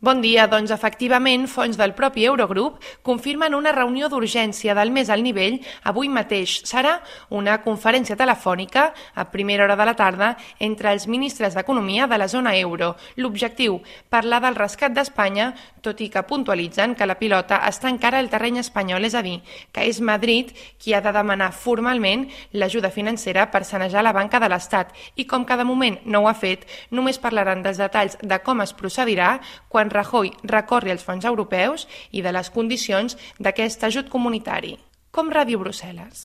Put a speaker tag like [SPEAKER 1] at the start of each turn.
[SPEAKER 1] Bon dia, doncs efectivament, fonts del propi Eurogrup confirmen una reunió d'urgència del més alt nivell avui mateix. Serà una conferència telefònica a primera hora de la tarda entre els ministres d'Economia de la zona euro. L'objectiu, parlar del rescat d'Espanya, tot i que puntualitzen que la pilota està encara al terreny espanyol, és a dir, que és Madrid qui ha de demanar formalment l'ajuda financera per sanejar la banca de l'Estat. I com que de moment no ho ha fet, només parlaran dels detalls de com es procedirà quan Rajoy recorri als fons europeus i de les condicions d'aquest ajut comunitari. Com Ràdio Brussel·les.